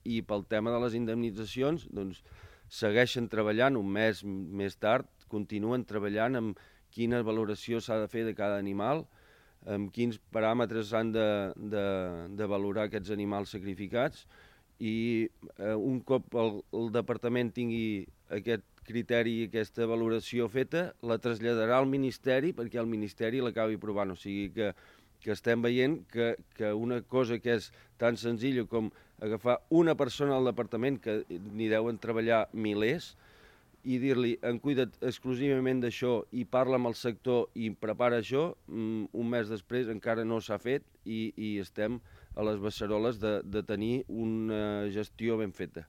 i pel tema de les indemnitzacions, doncs, segueixen treballant un mes més tard, continuen treballant amb quina valoració s'ha de fer de cada animal, amb quins paràmetres s'han de valorar aquests animals sacrificats, i un cop el departament tingui aquest criteri i aquesta valoració feta, la traslladarà al Ministeri perquè el Ministeri l'acabi aprovant. O sigui que estem veient que una cosa que és tan senzilla com agafar una persona al departament, que n'hi deuen treballar milers, i dir-li, cuida't exclusivament d'això i parla amb el sector i prepara això, un mes després encara no s'ha fet i estem a les beceroles de tenir una gestió ben feta.